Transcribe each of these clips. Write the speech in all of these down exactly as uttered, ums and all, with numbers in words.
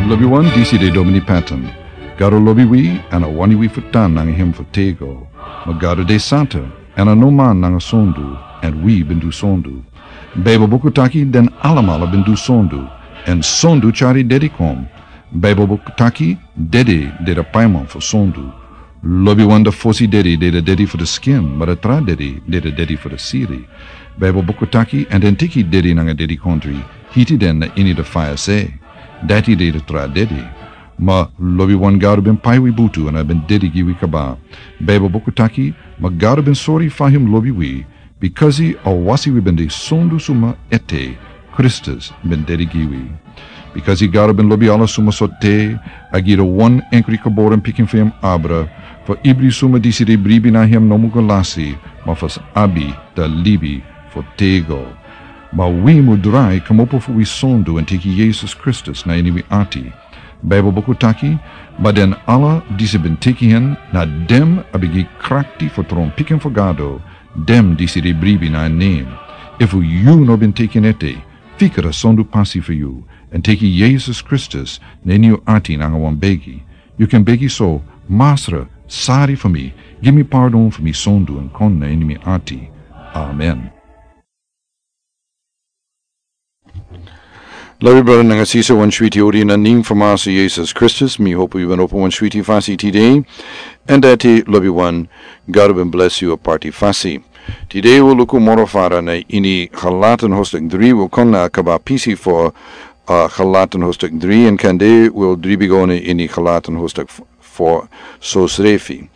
Lobi wan, disi de Domini Patton. Gado lobi wi, èn a wani wi fu tan nanga hem fu tego. Ma Gado de santa, èn a no man nanga sondu, èn wi ben du sondu. Baibel buku taki den alamala ben du sondu, èn sondu tyari dedi kon. Baibel buku taki dedi de de paiman fu sondu. Lobi wan, de fosi dedi de de dedi fu de skin, ma de tra dedi de de dedi fu de siri. Baibel buku taki, èn den teki dedi nanga dedikondri, hiti den na ini de faya se. Dati de de tra dedi. Ma lobi wan, Gado ben pai wi butu èn a ben dedi gi wi kaba. Baibel buku taki, ma Gado ben sori fa hem lobi wi, bikasi a wasi wi ben de sondu suma ete, Kristus ben dedi gi wi. Bikasi Gado ben lobi ala suma so te, a gi de wan enkri geboren pikin fu hem abra, fu ibri suma disi de bribi na hem no mu go lasi, ma fu sa abi de libi fu tego. Ma wi mu drai kmopo fu wi sondu èn teki Yesus Kristus na ini wi ati. Baibel buku taki, ma den ala disi ben teki hen, na den a ben gi krakti fu tron pikin fu Gado, den disi de bribi na en nen. Efu yu no ben teki en ete, fikra sondu pasi fu yu, èn teki Yesus Kristus na ini yu ati nanga wan begi. Yu kan begi so: Masra, sari fu mi, gi mi pardon fu mi sondu èn kon na ini mi ati. Amen. Lobi brada nanga sisa, wan switi odi na nen fu Masra Yesus Kristus. Mi hopu yu ben opo wan switi fasi tide. Èn dati, lobi wan, Gado ben blesi yu a parti fasi. Tide wi o luku moro fara na ini Galatan hoofdstuk dri, wi o kon na kaba pisi fu, uh, Galatan hoofdstuk dri, èn kande wi o dribi go na ini Galatan hoofdstuk f-, fu sosrefi.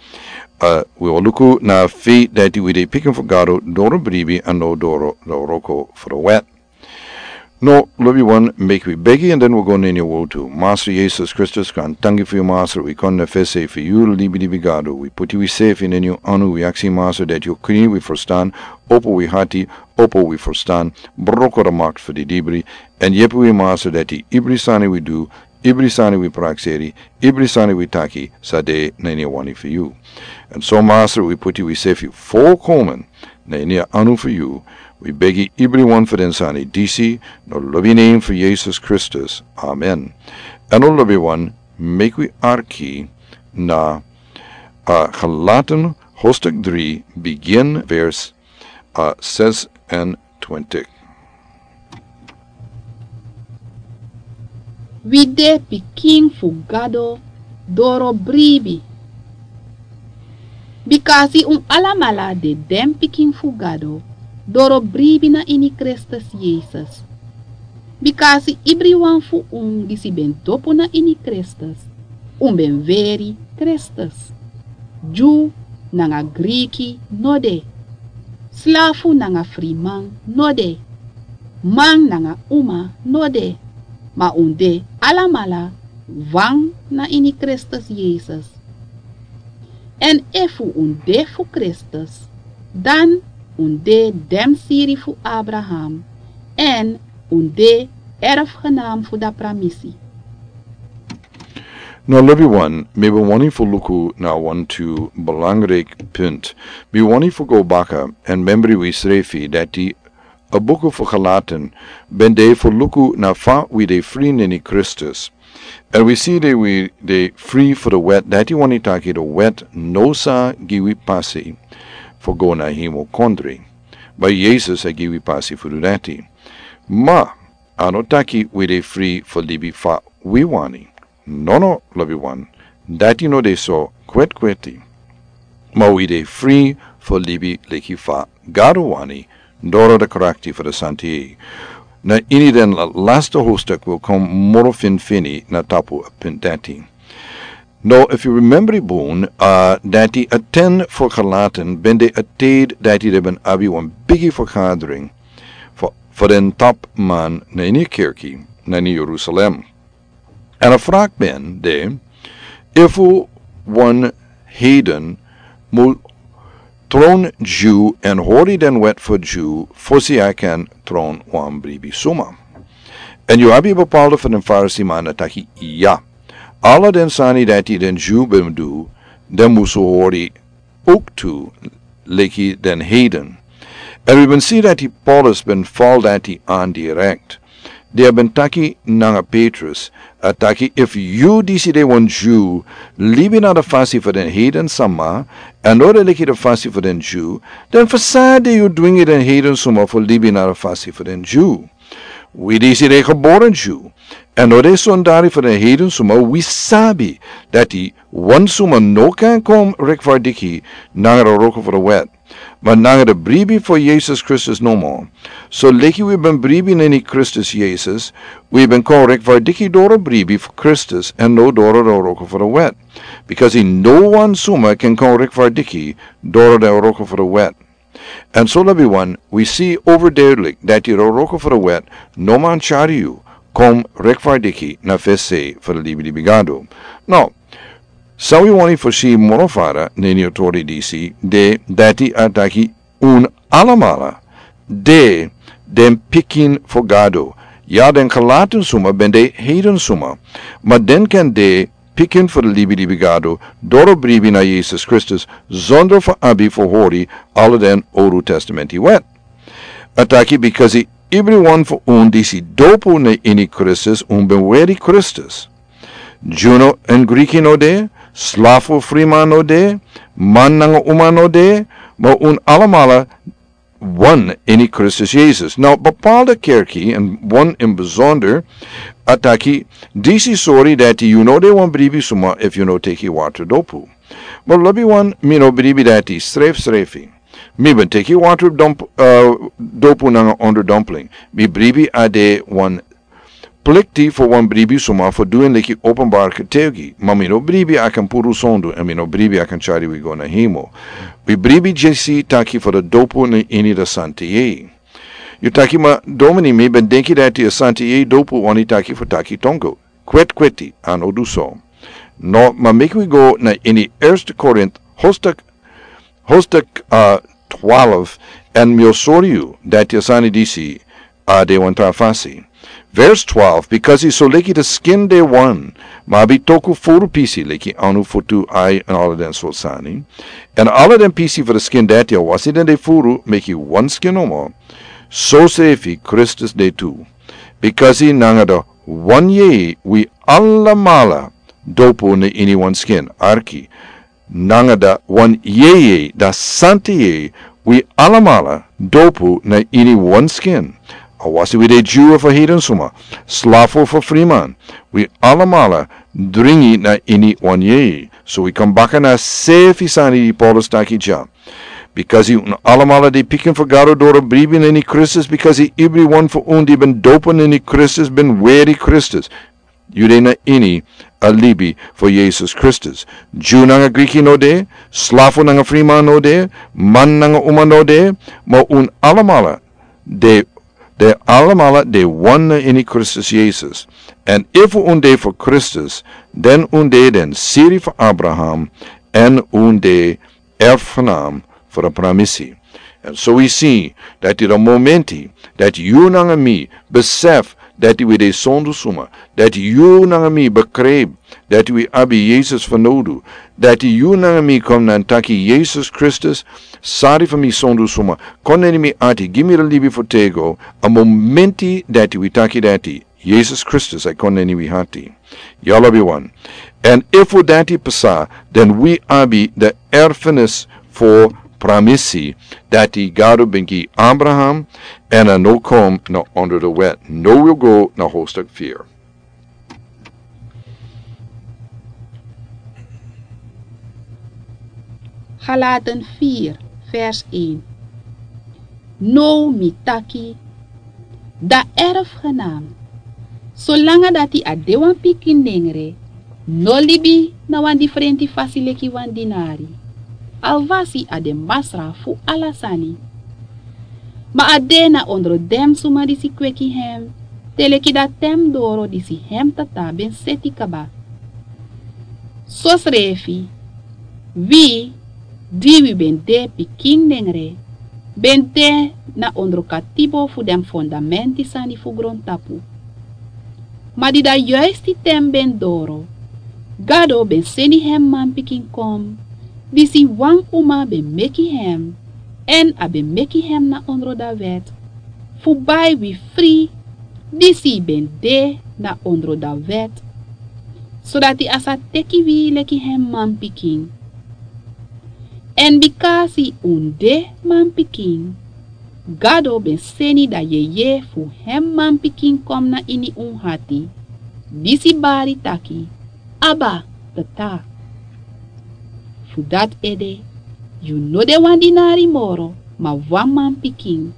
Uh, wi o luku na fa dati wi de pikin fu Gado doro bribi èn no doro, doro wroko fu de wet. No, lobi wan, meki wi begi èn den wi o go na ini wotu. Masra Yesus Kristus, grantangi fu yu, Masra, wi kon na fesi fu yu, libi libi Gado. Wi puti wi sefi na ini yu anu, wi aksi, Masra, dati yu o krin wi ferstan, opo wi ati, opo wi ferstan, broko de makti fu didibri, èn yepi wi, Masra, dati ibri sani wi du, ibri sani wi prakseri, ibri sani wi taki, sa de na ini wani fu yu. Èn so, Masra, wi puti wi sefi folkomen na ini a anu fu yu, wi begi ibri wan fu den sani disi, na lobi nen fu Yesus Kristus. Amen. Èn no, lobi wan, meki wi arki na, uh, Galatan hoofdstuk dri, bigin vers, uh, zesentwintig. Wi de pikin fu Gado doro bribi. Bikasi un alamala de den pikin fu Gado doro bribi na ini Kristus Yesus. Bikasi ibriwan fu un disi ben dopu na ini Kristus, un ben weri Kristus. Dyu nanga Griki no de, slafu nanga friman no de, man nanga uma no de, ma un de alamala wan na ini Kristus Yesus. Èn efu un de fu Kristus, dan un de den siri fu Abraham, èn un de erfgenaam fu a pramisi. No, lobi wan, mi ben wani fu luku na wantu belangrijk punt. Mi wani fu go baka èn membri wi srefi dati a buku fu Galatan ben de fu luku na fa wi de fri na ini Kristus. Èn wi si dati wi de fri fu de wet, dati wani taki de wet no sa gi wi pasi fu go na hemel kondre. Ma Yesus a gi wi pasi fu du dati. Ma a no taki wi de fri fu libi fa wi wani. Nono, lobi wan, dati no de so kwetkweti. Ma wi de fri fu libi leki fa Gado wani, doro de krakti fu de Santi. Na ini den la-, lasta hoofdstuk wi o kon moro finfini na tapu a punt dati. No, efu yu remembri bun, uh, dati a ten fu Galatan ben de a tide dati den ben abi wan bigi vergadering fu, fu den topman na ini kerki na ini Jerusalem. Èn a vraag ben de, efu wan heiden mu tron Dyu èn hori den wet fu Dyu fosi a kan tron wan bribi suma. Èn yu abi bepaalde fu den Farisiman a taki, ya, ala den sani dati den Dyu ben du, den musu hori owktu leki den heiden. Èn wi ben si dati Paulus ben fal dati an direkt. di a ben taki nanga Petrus, a taki: Efu yu disi de wan Dyu, libi na den fasi fu den heiden sama, èn no de leki den fasi fu den Dyu, den fu san de yu dwingi den heiden suma fu libi na den fasi fu den Dyu? Wi disi de geboren Dyu, èn no de sondari fu den heiden suma, wi sabi dati wan suma no kan kon rekfardiki nanga den wroko fu den wet, ma nanga den bribi fu Yesus Kristus nomo. So leki wi ben bribi na ini Kristus Yesus, wi ben kon rekfardiki doro bribi fu Kristus èn no doro den wroko fu den wet. Bikasi no wan suma kan kon rekfardiki doro den wroko fu den wet. Èn so, lobiwan, wi si overduidelijk dati den wroko fu den wet no man tyari yu kon rekfardiki na fesi fu den libilibi Gado. Now, san wi wani fosi moro fara na ini a tori disi, de dati a taki un alamala de den pikin fu Gado. Ya, den Galaten suma ben de heiden suma, ma den kan de pikin fu den libilibi Gado doro bribi na Yesus Kristus, zonder fu abi fu hori ala den Owru Testamenti wet. A taki: Bikasi ibriwan fu un disi dopu na ini Kristus, un ben weri Kristus. Dyu èn Griki no de, slafu friman no de, man nanga uma no de, ma un alamala wan ini Kristus Yesus. Now, bepaalde kerki, èn wan in bijzonder, a taki: Disi sori dati yu no de wan bribi suma efu yu no teki water dopu. Ma lobiwan, mi no bribi dati srefsrefi. Mi ben teki water domp-, eh, dopu nanga onderdompeling. Mi bribi a de wan plikti fu wan bribi suma fu du en leki openbaar getuigi, ma mi no bribi a kan puru sondu, èn mi no bribi a kan tyari wi go na hemel. Wi bribi disi taki fu den dopu na ini den santa yeye. Yu taki: Ma domini, mi ben denki dati a santa yeye dopu wani taki fu taki tongo. Kwetkweti, a no du so. No, ma meki wi go na ini Eerste Korint hoofdstuk, hoofdstuk, eh, twaalf, èn mi o sori yu dati a sani disi a de wan tra fasi. Vers twaalf: Bikasi so leki den skin de wan, ma abi toku furu pisi leki anu, futu, ai, èn ala den sortu sani, èn ala den pisi fu den skin dati, awasi den de furu, meki wan skin nomo, sosrefi Kristus de tu. Bikasi nanga den wan yeye wi alamala dopu na ini wan skin, arki, nanga den wan yeye, den santa yeye, wi alamala dopu na ini wan skin. Awasi wi de Dyu efu heiden suma, slafu efu friman, wi alamala dringi na ini wan yeye. So wi kon baka na a srefi sani di Paulus taki dya. Bikasi un alamala de pikin fu Gado doro bribi na ini Kristus, bikasi ibriwan fu un di ben dopu na ini Kristus ben weri Kristus. Yu de na ini a libi fu Yesus Kristus. Dyu nanga Griki no de, slafu nanga friman no de, man nanga uma no de, ma un alamala de, de alamala de wan na ini Kristus Yesus. Èn efu un de fu Kristus, dan un de den siri fu Abraham, èn un de erfgenaam fu den pramisi. Èn so wi si dati den momenti dati yu nanga mi besef dati wi de sondu suma, dati yu nanga mi begrijp dati wi abi Yesus fanowdu, dati yu nanga mi kon na taki: Yesus Kristus, sari fu mi sondu suma, kon na ini mi ati, gi mi den libi fu têgo. A momenti dati wi taki dati, Yesus Kristus e kon na ini wi ati. Ya, lobiwan. Èn efu dati pasa, dan wi abi den erfenis fu pramisi dati Gado ben gi Abraham, èn a no kon na onder den wet. Now wi go na hoofdstuk vier. Galaten vier, vers één. Now mi taki, den erfgenaam, solanga dati a de wan pikin nengre, no libi na wan difrenti fasi leki wan dinari. Awasi a de masra fu ala sani. Ma a de na ondro den suma disi kweki hem, te leki den ten doro disi hem Tata ben seti kaba. Sosrefi, wi, di wi ben de pikin nengre, ben de na ondro katibo fu den fondamenti sani fu grontapu. Ma di a yuisti ten ben doro, Gado ben seni hem manpikin kon, disi wan uma ben meki hem, èn a ben meki hem na ondro a wet, fu bai wi fri disi ben de na ondro dan wèt, sodati a sa teki wi leki hen manpikin. Èn bika a si un de manpikin, Gado ben seni dan yeye fu hen manpikin kon na ini un hati, disi bari taki: Abba, Tata. Fu dati ede, yu no de wan dinari moro, ma wan manpikin.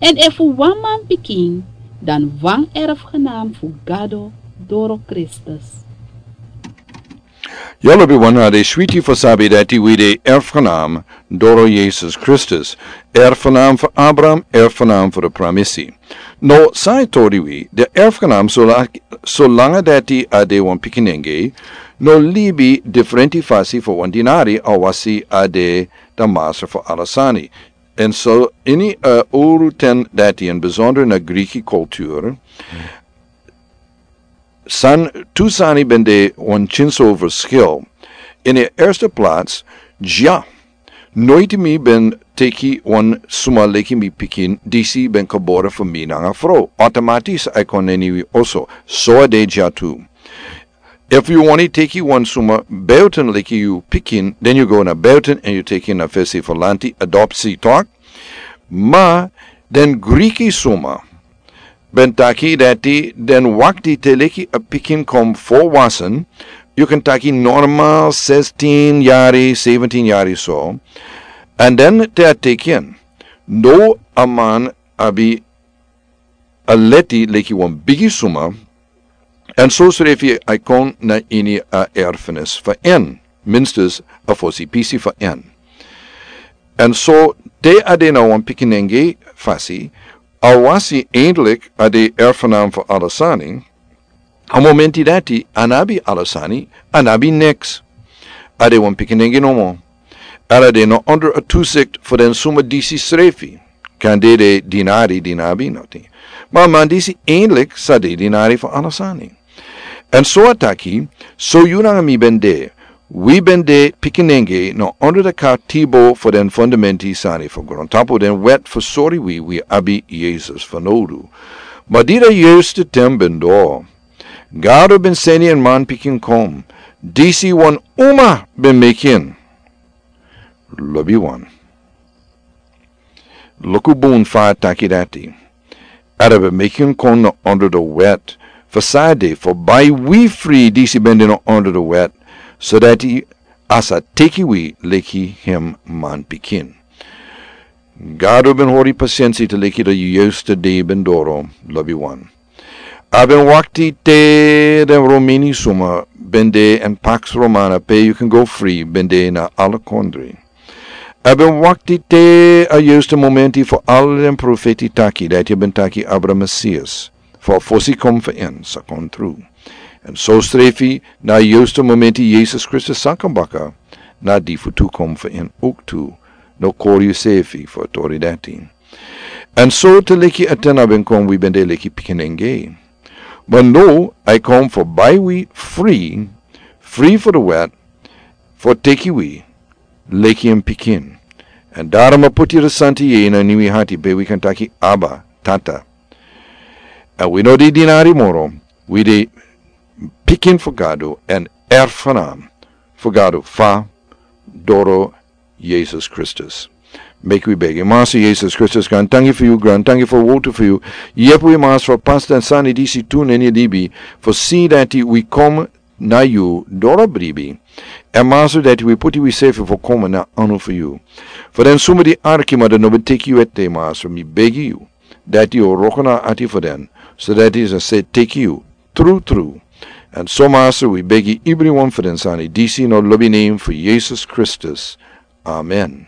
Èn efu wan manpikin, dan wan erfgenaam fu Gado doro Kristus. Yu lobiwan, a de switi fu sabi dati wi de erfgenaam doro Yesus Kristus, erfgenaam fu Abraham, erfgenaam fu de pramisi. No, san e tori wi, de erfgenaam, solanga, solanga dati a de wan pikinenge, no libi diferenti fasi fu wan dinari, awasi a de de master fu ala sani. Èn so ini a uru ten dati, in bijzonder na Griki kultur, san, tu sani ben de wan kinso verschil. In de eerste plaats, dya, noiti mi ben teki wan suma leki mi pikin disi ben gebore fu mi nanga frow. Automatisch a e kon na ini wi oso. So a de dya tu. Efu yu wani teki wan suma buiten leki yu pikin, den yu go na buiten èn yu teki na fesi fu lanti, adopsi, toch? Ma den Griki suma ben taki dati den wakti te leki a pikin kon volwassen, yu kan taki normaal zestien yari, zeventien yari so. Èn den te a teki en, no, a man abi a leti leki wan bigi suma, èn so srefi a e kon na ini a erfenis fu en, minstens a fosi pisi fu en. Èn so te a de na wan pikinenge fasi, awasi eindelijk a de erfgenaam fu ala sani, a momenti dati a no abi ala sani, a no abi niks. A de wan pikinenge nomo. Èn a de na onder a toezicht fu den suma disi srefi. Kan de de dinari di no abi noti. Ma a man disi eindelijk sa de dinari fu ala sani. Èn so a taki, so yu nanga mi ben de, wi ben de pikinenge na onder de katibo fu den fundamenti sani fu grontapu den wet fu sori wi, wi abi Yesus fanowdu. Ma di a juiste ten ben doro, Gado ben seni en manpikin kon, disi wan uma ben meki en. Lobiwan. Luku bun fa a taki dati. Èn a ben meki en kon na onder de wet, fu san a de, fu bai wi fri disi ben de na onder de wet, sodati a sa teki wi leki hem manpikin. Gado ben hori pasensi te leki de juiste dei ben doro, lobiwan. A ben wakti te den Romini suma ben de èn Pax Romana, pe yu kan go fri, ben de na ala kondre. A ben wakti te a juiste momenti fu ala den profeti taki dati a ben taki abra Mesias, fu a fosi kon fu en sa kon tru. Èn so srefi na a juiste momenti Yesus Kristus sa kon baka, na di fu tu kon fu en uk tu, no kori yu srefi fu a tori dati. Èn so te leki a ten a ben kon wi ben de leki pikinenge. Ma no, a e kon fu bai wi fri, fri fu de wet, fu teki wi leki en pikin. Èn daarom a puti de santi yeye na ini wi hati pe wi kan taki Abba, Tata. Èn wi no de dinari moro, wi de pikin fu Gado èn erfgenaam fu Gado fa doro Yesus Kristus. Meki wi begi. Master Yesus Kristus, grantangi fu yu, grantangi fu a wowtu fu yu. Yepi wi, Master, fu pasi den sani disi tu na ini libi, fu si dati wi kon na yu doro bribi. Èn Master, dati wi puti wi srefi fu kon na anu fu yu. Fu den suma di arki ma den no ben teki yu ete, Master, mi begi yu dati yu o wroko na a ati fu den, sodati den sa teki yu tru tru. Èn so Master, wi begi ibriwan fu den sani disi na lobi nen fu Yesus Kristus. Amen.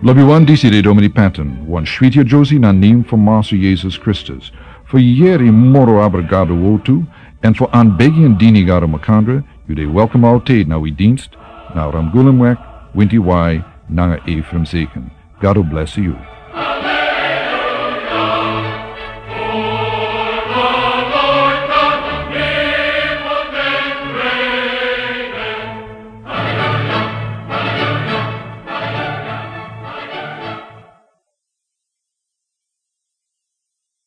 Lobiwan, disi de Domini Patton, wan switi a Josie na nen fu Master Yesus Kristus. Fu yere moro abra Gado wowtu, èn fu anbegi èn dini Gado makandra, yu de welkom altijd na wi dienst, na Ramgulemweg, winti wai, nanga Ephraim Zeken. Gado bless yu.